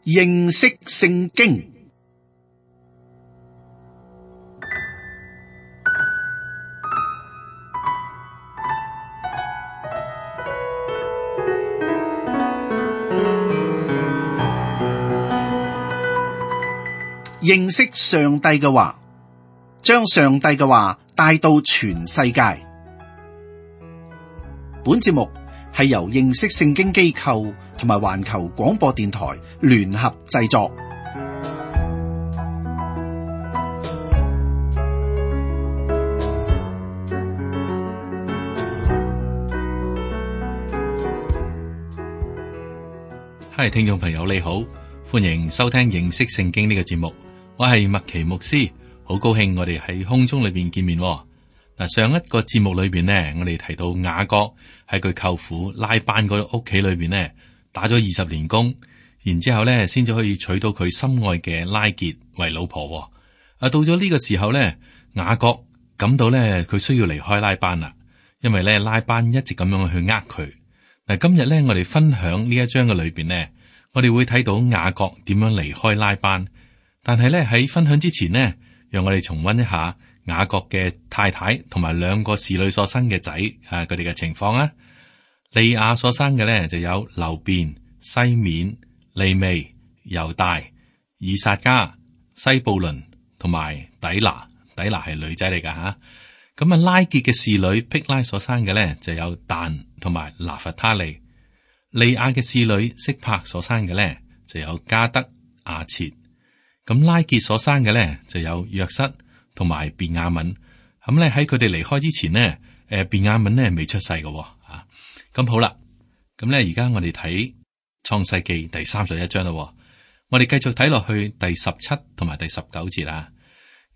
認識聖經。認識上帝嘅話，將上帝嘅話帶到全世界。本節目係由認識聖經機構同埋環球廣播電台聯合製作。係聽眾朋友你好，歡迎收聽認識聖經呢個節目。我係麥奇牧師，好高興我哋喺空中裏邊見面。嗱，上一個節目裏邊呢，我哋提到雅各喺佢舅父拉班嗰屋企裏邊呢，打咗20年工，然之後呢先至可以娶到佢心愛嘅拉結為老婆。到咗呢個時候呢，雅各感到呢佢需要離開拉班啦，因為呢拉班一直咁樣去呃佢。嗱，今日呢我哋分享呢一章嘅裏邊呢，我哋會睇到雅各點樣離開拉班。但係咧喺分享之前呢，讓我哋重溫一下雅各嘅太太同埋2個侍女所生嘅仔佢哋嘅情況啊。利亞所生嘅咧就有流便、西緬、利未、猶大、以撒迦、西布倫同埋底拿。底拿係女仔嚟噶吓。咁拉結嘅侍女辟拉所生嘅咧就有但同埋拿弗他利。利亞嘅侍女色柏所生嘅咧就有加德、亞設。咁拉結所生嘅咧就有約瑟同埋便雅憫。咁咧喺佢哋離開之前呢，便雅憫咧未出世嘅。咁好啦，咁咧而家我哋睇創世記第31章啦。我哋繼續睇落去第17同埋第19節啦。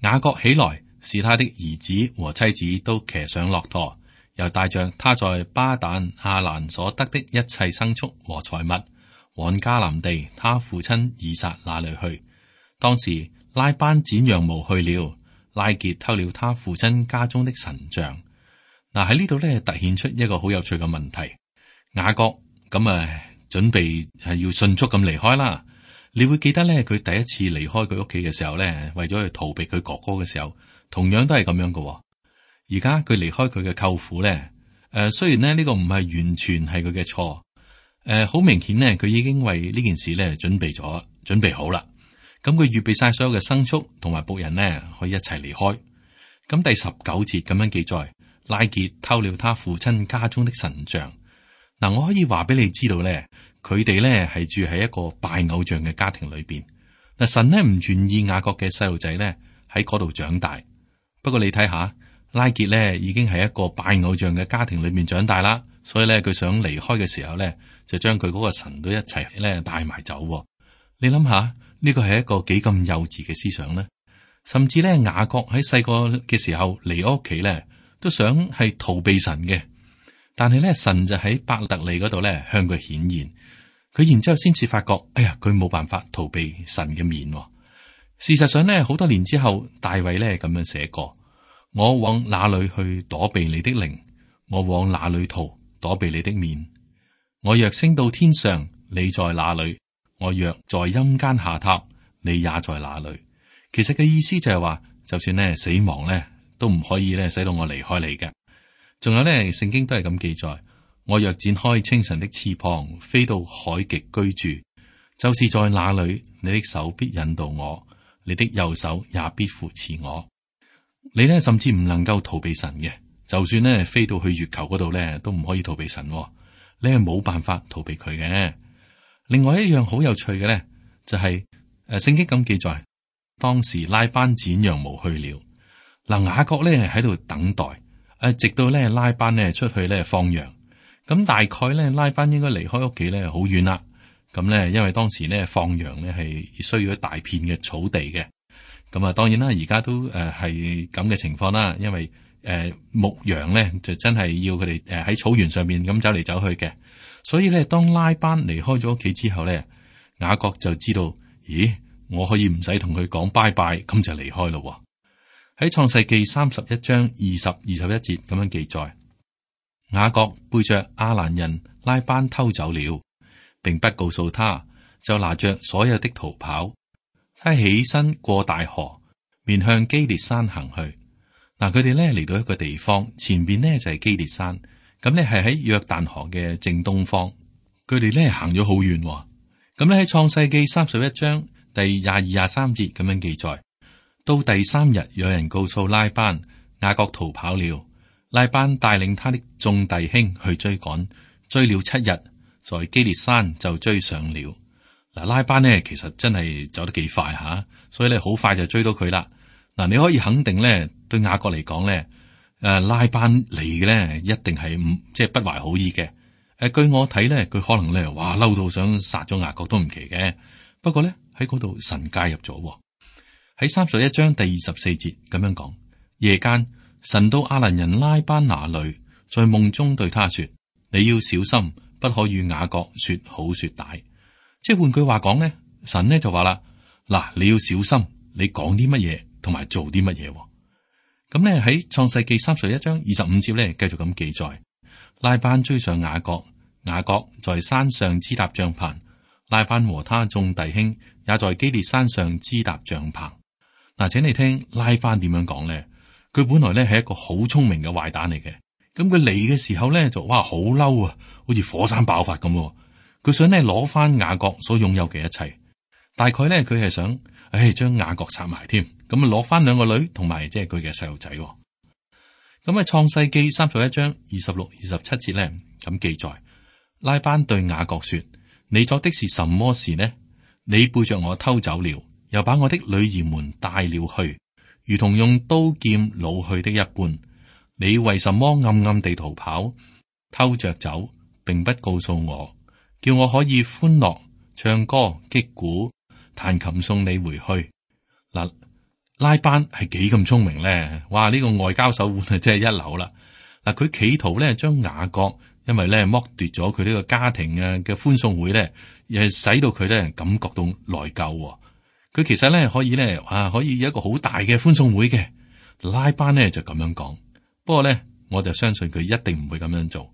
雅各起來，使他的兒子和妻子都騎上駱駝，又帶着他在巴旦亞蘭所得的一切牲畜和財物，往迦南地他父親以撒那裏去。當時拉班剪羊毛去了，拉結偷了他父親家中的神像。嗱，喺呢度咧突顯出一個好有趣嘅問題。雅各咁準備係要迅速咁離開啦。你會記得咧佢第一次離開佢屋企嘅時候咧，為咗去逃避佢哥哥嘅時候，同樣都係咁樣嘅。而家佢離開佢嘅舅父咧，雖然咧呢個唔係完全係佢嘅錯，好明顯呢，佢已經為呢件事咧準備好啦。咁佢預備晒所有嘅牲畜同埋僕人呢，可以一齊離開。咁第19節咁樣記載，拉結偷了他父親家中的神像。嗱，我可以話俾你知道咧，佢哋咧係住喺一個拜偶像嘅家庭裏邊。嗱，神呢唔願意雅各嘅細路仔咧喺嗰度長大。不過你睇下，拉結咧已經係一個拜偶像嘅家庭裏面長大啦，所以咧佢想離開嘅時候咧，就將佢嗰個神都一齊咧帶埋走。你諗下。呢個係一個幾咁幼稚嘅思想呢？甚至咧，雅各喺細個嘅時候離屋企咧，都想係逃避神嘅。但係咧，神就喺伯特利嗰度咧向佢顯現，佢然之後先至發覺，哎呀，佢冇辦法逃避神嘅面。事實上咧，好多年之後，大衛咧咁樣寫過：我往哪裏去躲避你的靈？我往哪裏逃躲避你的面？我若升到天上，你在哪裏？我若在陰間下榻，你也在那裏。其實嘅意思就係話，就算咧死亡咧，都唔可以咧使到我離開你嘅。仲有咧，聖經都係咁記載：我若展開清晨的翅膀，飛到海極居住，就是在那裏，你的手必引導我，你的右手也必扶持我。你咧甚至唔能夠逃避神嘅，就算咧飛到去月球嗰度咧，都唔可以逃避神。你係冇辦法逃避佢嘅。另外一樣好有趣嘅咧，就係聖經咁記載，當時拉班剪羊毛去了。嗱，雅各咧喺度等待，直到咧拉班咧出去咧放羊。咁大概咧拉班應該離開屋企咧好遠啦。咁咧因為當時咧放羊咧係需要一大片嘅草地嘅。咁當然啦，而家都係咁嘅情況啦。因為牧羊咧就真係要佢哋喺草原上面咁走嚟走去嘅。所以咧，當拉班離開咗屋企之後咧，雅各就知道，咦，我可以唔使同佢講拜拜，咁就離開咯。喺創世記31章20、21節咁樣記載，雅各背着亞蘭人拉班偷走了，並不告訴他，就拿着所有的逃跑，他起身過大河，面向基列山行去。嗱，佢哋咧嚟到一個地方，前邊呢就係基列山，咁咧係喺約旦河嘅正東方。佢哋咧行咗好遠，咁咧喺創世記31章第22、23節咁樣記載。到第3日，有人告訴拉班，雅各逃跑了。拉班帶領他的眾弟兄去追趕，追了7日，在基列山就追上了。嗱，拉班呢其實真係走得幾快吓，所以咧好快就追到佢啦。嗱，你可以肯定咧，對雅各嚟講咧，拉班嚟嘅咧一定係即係不懷好意嘅。據我睇咧，佢可能咧哇嬲到想殺咗雅各都唔奇嘅。不過咧喺嗰度神介入咗，喺31章第24節咁樣講：夜間神到亞蘭人拉班那裏，在夢中對他說：你要小心，不可與雅各說好說歹。即係換句話講咧，神呢就話啦，嗱，你要小心，你講啲乜嘢同埋做啲乜嘢。咁咧喺創世記31章25節咧，繼續咁記載：拉班追上雅各，雅各在山上支搭帳棚，拉班和他眾弟兄也在基列山上支搭帳棚。嗱，請你聽拉班點樣講咧？佢本來咧係一個好聰明嘅壞蛋嚟嘅，咁佢嚟嘅時候咧就哇好嬲啊，好似火山爆發咁。佢想咧攞翻雅各所擁有嘅一切，大概咧佢係想，將雅各殺埋添，咁啊攞翻2個女同埋即係佢嘅細路仔。咁喺創世記31章26、27節咧咁記載，拉班對雅各說：你作的是什麼事呢？你背着我偷走了，又把我的女兒們帶了去，如同用刀劍擄去的一般。你為什麼暗暗地逃跑，偷着走，並不告訴我，叫我可以歡樂唱歌擊鼓彈琴送你回去？嗱，拉班係幾咁聰明咧？哇！呢個外交手腕啊，真係一流啦。嗱，佢企圖咧將雅各，因為咧剝奪咗佢呢個家庭啊嘅歡送會咧，又係使到佢咧感覺到內疚。佢其實咧可以咧可以有一個好大嘅歡送會嘅。拉班咧就咁樣講，不過咧我就相信佢一定唔會咁樣做。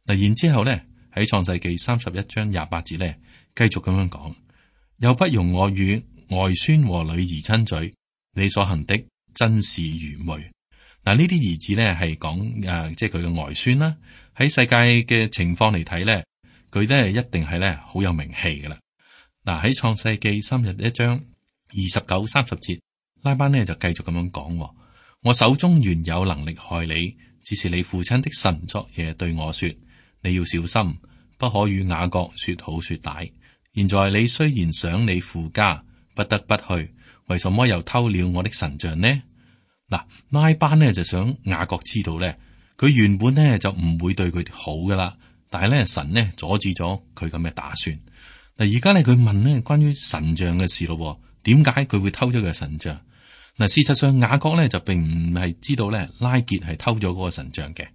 嗱，然之後咧喺創世記31章28節咧繼續咁樣講，又不容我與外孫和女兒親嘴，你所行的真是愚昧。嗱，呢啲兒子咧係講即係佢嘅外孫啦。喺世界嘅情況嚟睇咧，佢咧一定係咧好有名氣噶啦。嗱，喺創世記31章29、30節，拉班呢就繼續咁樣講：我手中原有能力害你，只是你父親的神昨夜對我說，你要小心，不可與雅各說好說歹。現在你雖然想你父家，不得不去，為什麼又偷了我的神像呢？嗱，拉班呢就想雅各知道咧，佢原本呢就唔會對佢好噶啦，但係咧神呢阻止咗佢咁嘅打算。嗱，而家咧佢問呢關於神像嘅事咯，點解佢會偷咗佢嘅神像？嗱，事實上雅各咧就並唔係知道咧拉結係偷咗嗰個神像嘅。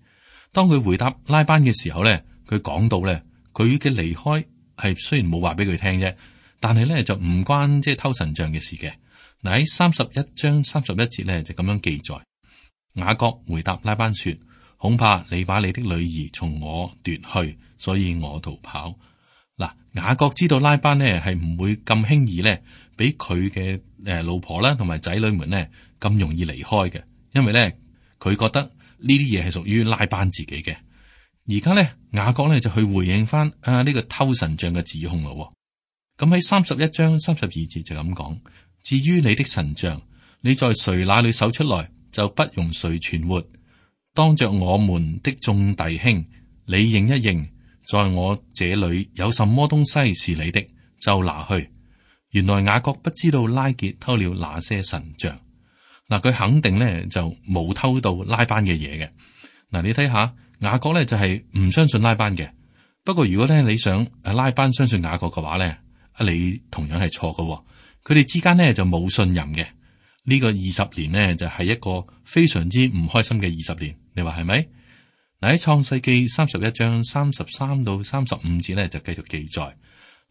當佢回答拉班嘅時候咧，佢講到咧佢嘅離開係雖然冇話俾佢聽啫，但係咧就唔關即係偷神像嘅事嘅。嗱，喺31章31節咧就咁樣記載，雅各回答拉班說：恐怕你把你的女兒從我奪去，所以我逃跑。嗱，雅各知道拉班呢係唔會咁輕易咧俾佢嘅老婆啦同埋仔女們呢咁容易離開嘅，因為咧佢覺得呢啲嘢係屬於拉班自己嘅。而家咧雅各咧就去回應翻呢個偷神像嘅指控咯。咁喺31章32節就咁講：至於你的神像，你在誰那裏搜出來，就不容誰存活。當着我們的眾弟兄，你認一認，在我這裏有什麼東西是你的，就拿去。原來雅各不知道拉結偷了那些神像。嗱，佢肯定咧就冇偷到拉班嘅嘢嘅。嗱，你睇下雅各咧就係唔相信拉班嘅。不過如果咧你想拉班相信雅各嘅話咧，你同樣係錯嘅。佢哋之間咧就冇信任嘅。呢個20年呢，就係一個非常之唔開心嘅20年，你話係咪？嗱，喺創世記31章33到35節咧就繼續記載，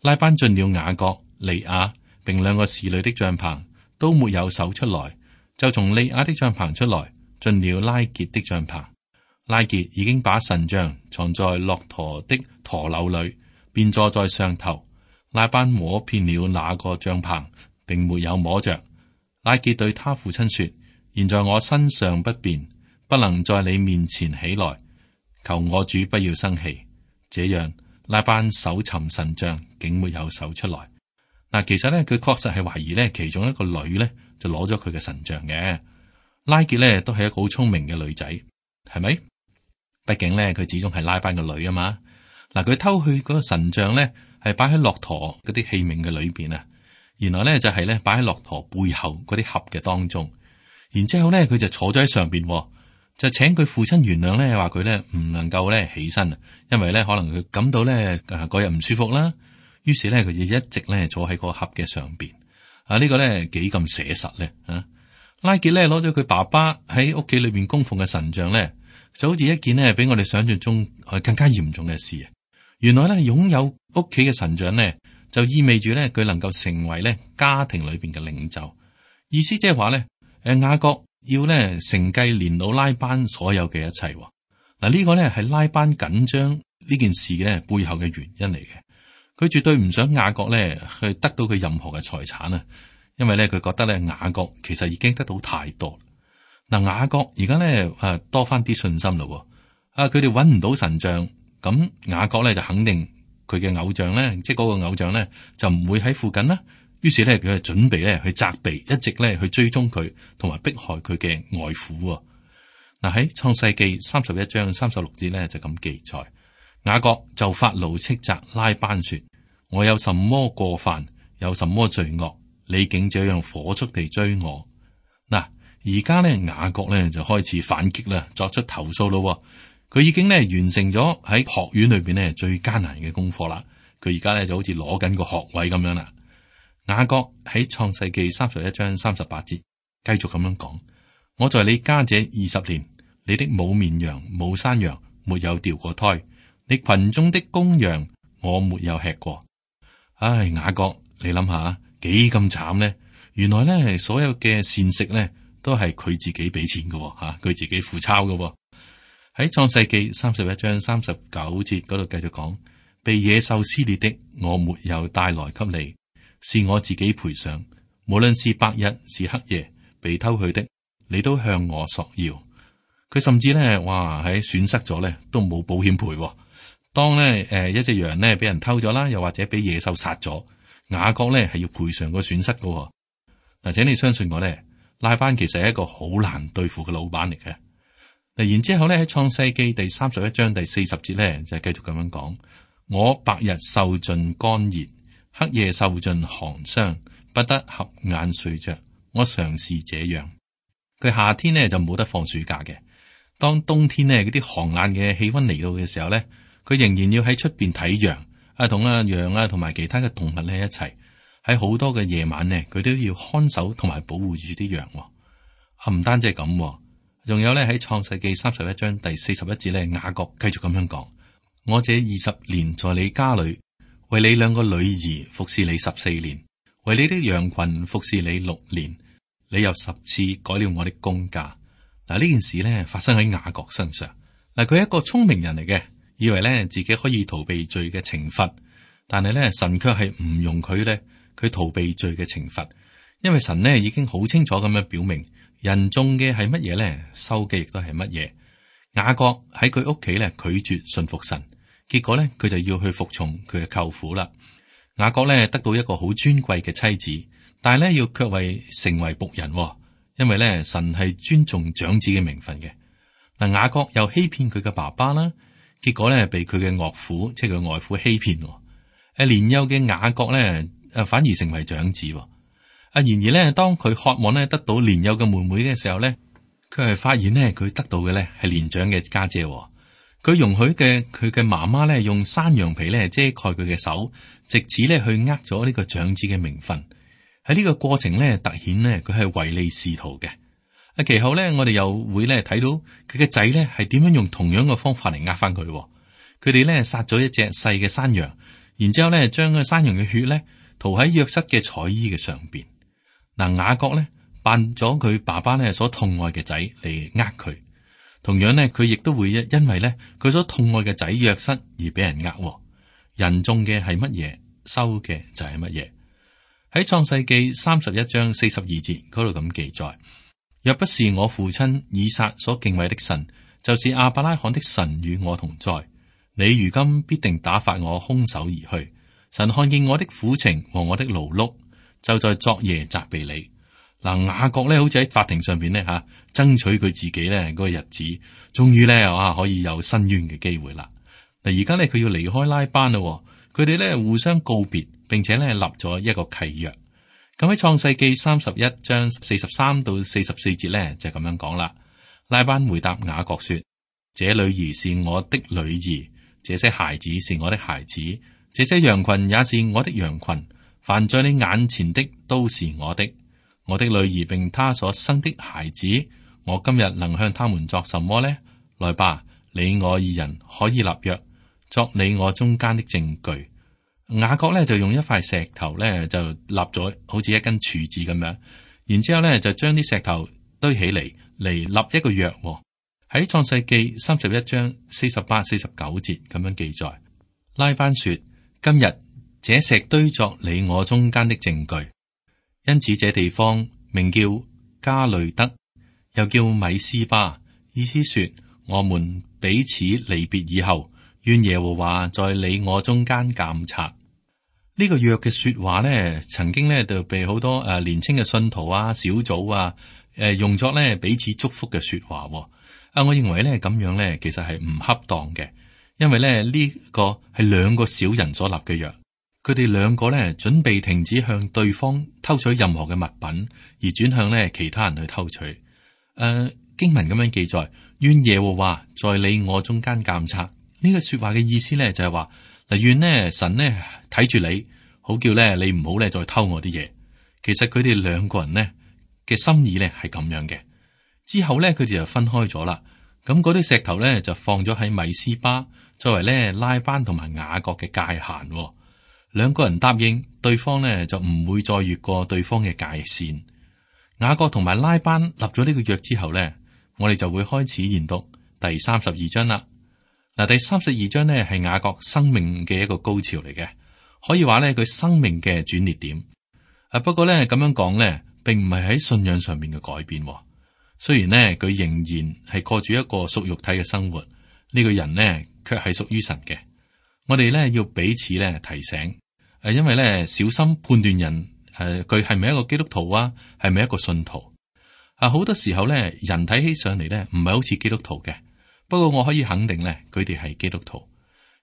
拉班進了雅各、利亞並2個侍女的帳棚，都沒有搜出來，就從利亞的帳棚出來，進了拉結的帳棚。拉結已經把神像藏在駱駝的駝廁裏，便坐在上頭。拉班摸遍了那個帳棚，並沒有摸着。拉結對他父親說：現在我身上不便，不能在你面前起來，求我主不要生氣。這樣拉班搜尋神像，竟沒有搜出來。嗱，其實咧，佢確實係懷疑咧，其中一個女咧就攞咗佢嘅神像嘅。拉結咧都係一個好聰明嘅女仔，係咪？畢竟咧，佢始終係拉班嘅女啊嘛。嗱，佢偷去嗰個神像咧，係擺喺駱駝嗰啲器皿嘅裏邊啊。原來咧就係咧擺喺駱駝背後嗰啲盒嘅當中。然之後咧，佢就坐咗喺上邊，就請佢父親原諒咧，話佢咧唔能夠咧起身啊，因為咧可能佢感到咧嗰日唔舒服啦。於是咧，佢就一直咧坐喺個盒嘅上邊。呢個咧幾咁寫實咧啊！拉結咧攞咗佢爸爸喺屋企裏邊供奉嘅神像咧，就好似一件咧比我哋想象中更加嚴重嘅事啊！原來咧擁有屋企嘅神像咧，就意味住咧佢能夠成為咧家庭裏邊嘅領袖。意思即係話咧，雅各要咧承繼年老拉班所有嘅一切。嗱，呢個咧係拉班緊張呢件事咧背後嘅原因嚟嘅。佢絕對唔想雅各咧去得到佢任何嘅財產啊，因為咧佢覺得咧雅各其實已經得到太多。嗱，雅各而家咧多翻啲信心咯。佢哋搵唔到神像，咁雅各咧就肯定佢嘅偶像咧，即係嗰個偶像咧就唔會喺附近啦。於是咧佢就準備咧去責備，一直咧去追蹤佢，同埋迫害佢嘅外父。嗱，喺創世記31章36節咧就咁記載。雅各就發怒斥責拉班說：我有什麼過犯，有什麼罪惡，你竟這樣火速地追我？嗱，而家咧雅各咧就開始反擊啦，作出投訴咯。佢已經咧完成咗喺學院裏邊咧最艱難嘅功課啦。佢而家咧就好似攞緊個學位咁樣啦。雅各喺創世記31章38節繼續咁樣講：我在你家這20年，你的母綿羊、母山羊沒有掉過胎。你群中的公羊，我沒有吃過。唉，雅各，你諗下幾咁慘呢？原來咧，所有嘅膳食咧，都係佢自己俾錢嘅吓，佢自己付鈔嘅。喺創世記31章39節嗰度繼續講：被野獸撕裂的，我沒有帶來給你，是我自己賠償。無論是白日是黑夜，被偷去的，你都向我索要。佢甚至咧，哇喺損失咗咧，都冇保險賠。當咧一隻羊咧俾人偷咗啦，又或者俾野獸殺咗，雅各咧係要賠償個損失噶。嗱，請你相信我咧，拉班其實係一個好難對付嘅老闆嚟嘅。嗱，然之後咧喺創世記第31章第40節咧就繼續咁樣講：我白日受盡乾熱，黑夜受盡寒霜，不得合眼睡着。我常是這樣。佢夏天咧就冇得放暑假嘅，當冬天咧嗰啲寒冷嘅氣溫嚟到嘅時候咧，佢仍然要喺出邊睇羊同羊啊同埋其他嘅動物咧一齊，喺好多嘅夜晚咧，佢都要看守同埋保護住啲羊。唔單止係咁，仲有咧喺創世記31章第41節咧，雅各繼續咁樣講：我這20年在你家裏，為你2個女兒服侍你14年，為你的羊群服侍你6年，你又10次改了我的工價。嗱，呢件事咧發生喺雅各身上。嗱，佢係一個聰明人嚟嘅。以為咧自己可以逃避罪嘅懲罰，但係咧神卻係唔容許咧佢逃避罪嘅懲罰，因為神咧已經好清楚咁樣表明，人種嘅係乜嘢咧，收嘅亦都係乜嘢。雅各喺佢屋企咧拒絕信服神，結果咧佢就要去服從佢嘅舅父啦。雅各咧得到一個好尊貴嘅妻子，但係咧要卻為成為僕人，因為咧神係尊重長子嘅名分嘅。嗱，雅各又欺騙佢嘅爸爸啦。結果咧，被佢嘅岳父，即係佢外父欺騙。年幼嘅雅各咧，反而成為長子。然而咧，當佢渴望咧得到年幼嘅妹妹嘅時候咧，佢係發現咧佢得到嘅咧係年長嘅家姐。佢容許佢嘅媽媽咧用山羊皮咧遮蓋佢嘅手，藉此咧去咗呢個長子嘅名分。喺呢個過程咧，凸顯咧佢係唯利是圖嘅。其後咧，我哋又會咧睇到佢嘅仔咧係點樣用同樣嘅方法嚟翻佢。佢哋咧殺咗一隻細嘅山羊，然之後咧將個山羊嘅血咧塗喺約瑟嘅彩衣嘅上邊。嗱，雅各咧扮咗佢爸爸咧所痛愛嘅仔嚟佢。同樣咧，佢亦都會因為咧佢所痛愛嘅仔約瑟而俾人人種嘅係乜嘢，收嘅就係乜嘢。喺創世記31章42節嗰度咁記載：若不是我父親以撒所敬畏的神，就是亞伯拉罕的神與我同在，你如今必定打發我空手而去。神看見我的苦情和我的勞碌，就在昨夜責備你。嗱，雅各咧好似喺法庭上邊咧爭取佢自己咧嗰個日子，終於咧可以有伸冤嘅機會啦。嗱，而家咧佢要離開拉班啦，佢哋咧互相告別，並且咧立咗一個契約。咁喺創世記31章43到44節咧就咁樣講啦。拉班回答雅各說：這女兒是我的女兒，這些孩子是我的孩子，這些羊群也是我的羊群，凡在你眼前的都是我的。我的女兒並她所生的孩子，我今日能向他們作什麼呢？來吧，你我二人可以立約，作你我中間的證據。雅各咧就用一塊石頭咧就立咗好似一根柱子咁樣，然之後咧就將啲石頭堆起嚟立一個約。喺創世記31章48、49節咁樣記載。拉班說：今日這石堆作你我中間的證據。因此這地方名叫加雷德，又叫米斯巴，意思說我們彼此離別以後，願耶和華在你我中間監察。呢個約嘅說話呢，曾經呢就被好多年輕嘅信徒小組用作呢彼此祝福嘅說話。我認為呢咁樣呢其實係唔恰當嘅，因為呢個係兩個小人所立嘅約。佢哋兩個咧準備停止向對方偷取任何嘅物品，而轉向咧其他人去偷取。經文咁樣記載：願耶和華在你我中間監察。呢個說話嘅意思咧就係話，嗱，願呢神呢睇住你，好叫咧你唔好咧再偷我啲嘢。其實佢哋兩個人呢嘅心意咧係咁樣嘅。之後咧佢哋就分開咗啦。咁嗰啲石頭咧就放咗喺米斯巴，作為咧拉班同埋雅各嘅界限。兩個人答應對方呢，就唔會再越過對方嘅界線。雅各同埋拉班立咗呢個約之後呢，我哋就會開始研讀第32章啦。嗱，第32章呢係雅各生命嘅一個高潮嚟嘅，可以話呢佢生命嘅轉捩點。不過呢咁樣講呢，並唔係喺信仰上面嘅改變。雖然呢佢仍然係過住一個屬肉體嘅生活，呢個人呢卻係屬於神嘅。我哋咧要彼此咧提醒，因為咧小心判斷人，佢係咪一個基督徒啊，係咪一個信徒？好多時候咧，人睇起上嚟咧，唔係好似基督徒嘅。不過我可以肯定咧，佢哋係基督徒。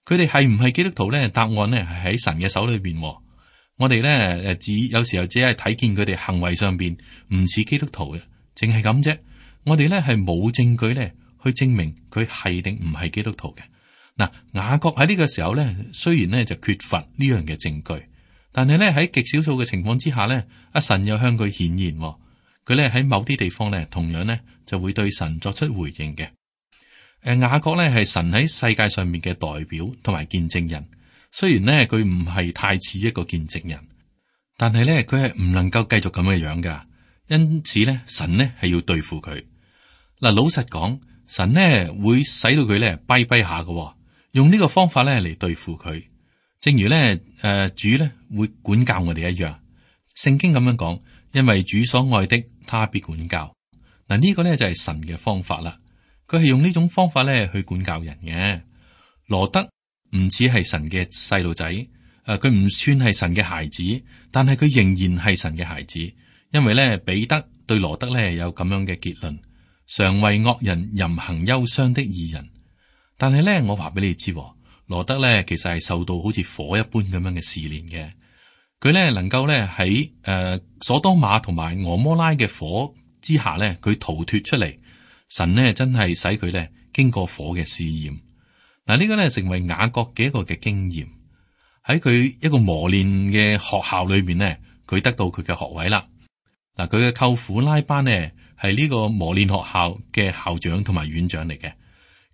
佢哋係唔係基督徒咧？答案咧係喺神嘅手裏邊。我哋咧有時候只係睇見佢哋行為上邊唔似基督徒嘅，淨係咁啫。我哋咧係冇證據咧去證明佢係定唔係基督徒嘅。嗱，雅各喺呢個時候咧，雖然咧就缺乏呢樣嘅證據，但係咧喺極少數嘅情況之下咧，阿神又向佢顯現，佢咧喺某啲地方咧，同樣咧就會對神作出回應嘅。雅各咧係神喺世界上面嘅代表同埋見證人，雖然咧佢唔係太似一個見證人，但係咧佢係唔能夠繼續咁嘅樣噶，因此咧神咧係要對付佢。嗱，老實講，神咧會使到佢咧跛跛下嘅。用呢個方法咧嚟對付佢，正如咧主咧會管教我哋一樣。聖經咁樣講，因為主所愛的，他必管教。嗱，呢個咧就係神嘅方法啦。佢係用呢種方法咧去管教人嘅。羅德唔似係神嘅細路仔，佢唔算係神嘅孩子，但係佢仍然係神嘅孩子。因為咧彼得對羅德咧有咁樣嘅結論：常為惡人淫行憂傷的義人。但係咧，我話俾你知，羅德咧其實係受到好似火一般咁樣嘅試煉嘅。佢咧能夠咧喺所多瑪同埋俄摩拉嘅火之下咧，佢逃脫出嚟。神呢真係使佢咧經過火嘅試驗。嗱，呢個咧成為雅各嘅一個嘅經驗。喺佢一個磨練嘅學校裏邊呢，佢得到佢嘅學位啦。嗱，佢嘅舅父拉班呢係呢個磨練學校嘅校長同埋院長嚟嘅。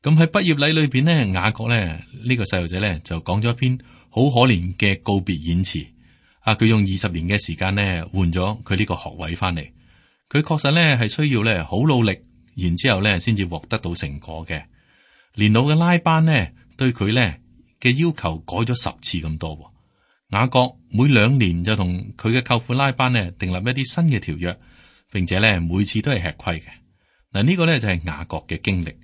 咁喺畢業禮裏邊呢，雅各咧呢個細路仔咧就講咗一篇好可憐嘅告別演詞。佢用20年嘅時間咧換咗佢呢個學位翻嚟。佢確實咧係需要咧好努力，然之後咧先至獲得到成果嘅。年老嘅拉班呢對佢咧嘅要求改咗10次咁多。雅各每2年就同佢嘅舅父拉班呢訂立一啲新嘅條約，並且呢每次都係吃虧嘅。嗱，呢個呢就係雅各嘅經歷。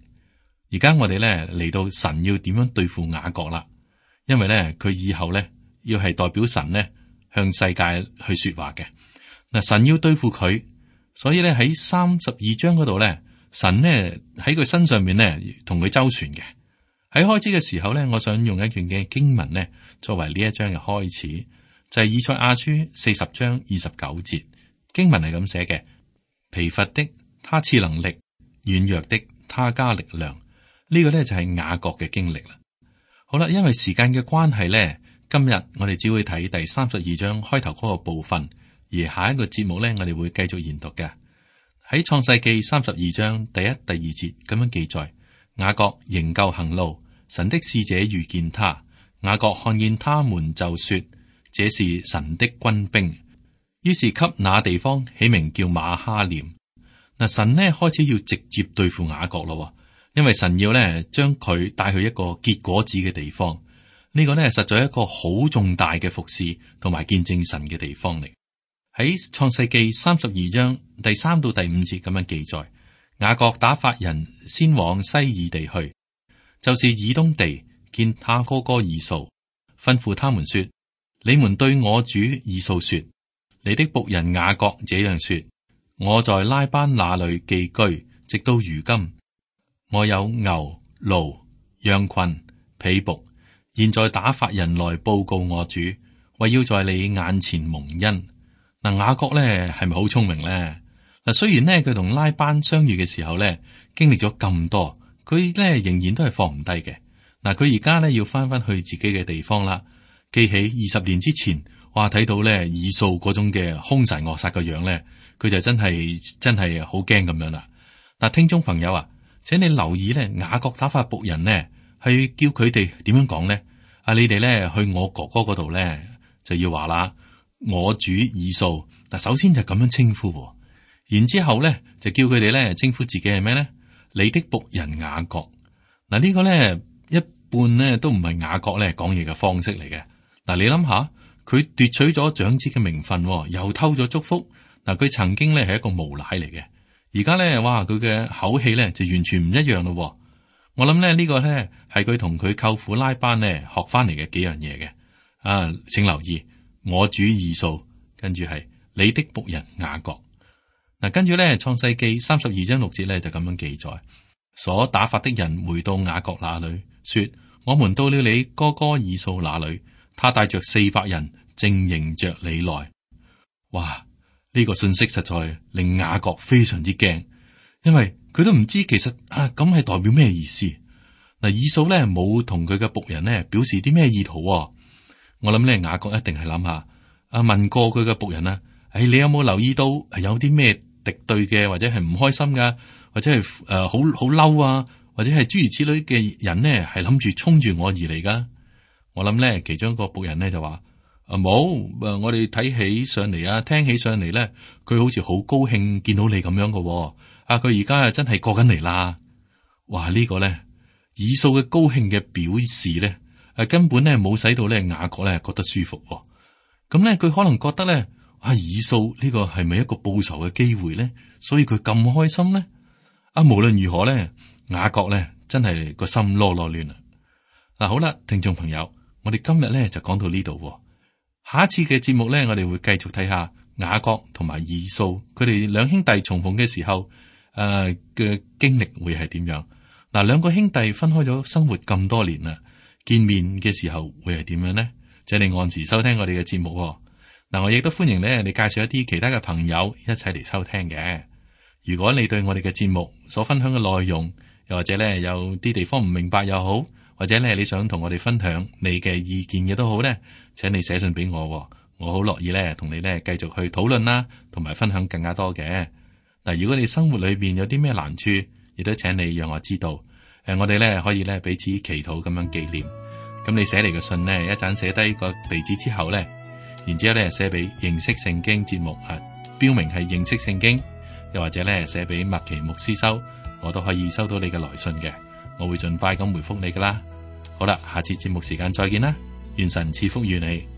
而家我哋呢嚟到神要點樣對付雅各啦，因為呢佢以後呢要係代表神呢向世界去說話嘅。嗱，神要對付佢，所以呢喺32章嗰度呢，神呢喺佢身上面呢同佢周旋嘅。喺開始嘅時候呢，我想用一段嘅經文呢作為呢一章嘅開始，就係以賽亞書40章29節，經文係咁寫嘅：疲乏的他賜能力，軟弱的他加力量。呢個呢就係雅各嘅經歷啦。好啦，因為時間嘅關係呢，今日我哋只會睇第32章開頭嗰個部分，而下一個節目呢，我哋會繼續研讀嘅。喺創世記32章第1、第2節咁樣記載。雅各仍舊行路，神的使者遇見他。雅各看見他們就說：這是神的軍兵。於是給那地方起名叫馬哈念。嗱，神呢開始要直接對付雅各咯，因為神要呢將佢帶去一個結果子嘅地方。呢個呢實在係一個好重大嘅服侍同埋見證神嘅地方嚟。喺創世記32章第3到第5節咁樣記載。雅各打發人先往西珥地去，就是以東地，見他哥哥以掃，吩咐他們說：你們對我主以掃說，你的僕人雅各這樣說：我在拉班那裏寄居，直到如今，我有牛、驢、羊群、婢僕，現在打發人來報告我主，為要在你眼前蒙恩。嗱，雅各咧係咪好聰明咧？嗱，雖然咧佢同拉班相遇嘅時候咧，經歷咗咁多，佢咧仍然都係放唔低嘅。嗱，佢而家咧要翻翻去自己嘅地方啦。記起20年之前，哇，睇到咧以掃嗰種嘅兇神惡煞嘅樣咧，佢就真係好驚咁樣啦。嗱，聽眾朋友啊，請你留意咧，雅各打發僕人呢，係叫佢哋點樣講咧？你哋咧去我哥哥嗰度咧，就要話啦，我主以掃。嗱，首先就咁樣稱呼。然之後咧，就叫佢哋咧稱呼自己係咩咧？你的僕人雅各。嗱，呢個咧一半咧都唔係雅各咧講嘢嘅方式嚟嘅。嗱，你諗下，佢奪取咗長子嘅名分，又偷咗祝福。嗱，佢曾經咧係一個無賴嚟嘅，而家咧，哇，佢嘅口氣咧就完全唔一樣咯。我諗咧呢個咧係佢同佢舅父拉班咧學翻嚟嘅幾樣嘢嘅。請留意，我主以掃，跟住係你的僕人雅各。嗱，跟住咧，創世記32章6節咧就咁樣記載：所打發的人回到雅各那裏，說：我們到了你哥哥以掃那裏，他帶着400人，正迎着你來。哇！呢個信息實在令雅各非常之驚，因為佢都唔知其實咁係代表咩意思。嗱，以掃咧冇同佢嘅僕人咧表示啲咩意圖。我諗咧雅各一定係諗下，問過佢嘅僕人啊，你有冇留意到有啲咩敵對嘅，或者係唔開心噶，或者係好嬲啊，或者係諸如此類嘅人呢，係諗住衝住我而嚟噶。我諗咧，其中一個僕人咧就話：冇，我哋睇起上嚟啊，聽起上嚟咧，佢好似好高興見到你咁樣噶。佢而家真係過緊嚟啦。哇，呢個咧以掃嘅高興嘅表示咧，根本咧冇使到咧雅各咧覺得舒服。咁咧佢可能覺得咧。以掃呢個係咪一個報仇嘅機會咧？所以佢咁開心咧？無論如何咧，雅各咧真係個心囉囉亂啦。嗱，好啦，聽眾朋友，我哋今日咧就講到呢度。下一次嘅節目咧，我哋會繼續睇下雅各同埋以掃佢哋兩兄弟重逢嘅時候嘅經歷會係點樣？嗱，兩個兄弟分開咗生活咁多年啦，見面嘅時候會係點樣咧？請你按時收聽我哋嘅節目。嗱，我亦都歡迎咧，你介紹一啲其他嘅朋友一齊嚟收聽嘅。如果你對我哋嘅節目所分享嘅內容，又或者咧有啲地方唔明白又好，或者咧你想同我哋分享你嘅意見嘅都好咧，請你寫信俾我，我好樂意咧同你咧繼續去討論啦，同埋分享更加多嘅。嗱，如果你生活裏邊有啲咩難處，亦都請你讓我知道。我哋咧可以咧彼此祈禱咁樣紀念。咁你寫嚟嘅信呢，一陣寫低個地址之後咧。然之後咧寫俾認識聖經節目標明係認識聖經，又或者咧寫俾麥奇牧師收，我都可以收到你嘅來信嘅，我會盡快咁回覆你噶啦。好啦，下次節目時間再見啦，願神賜福於你。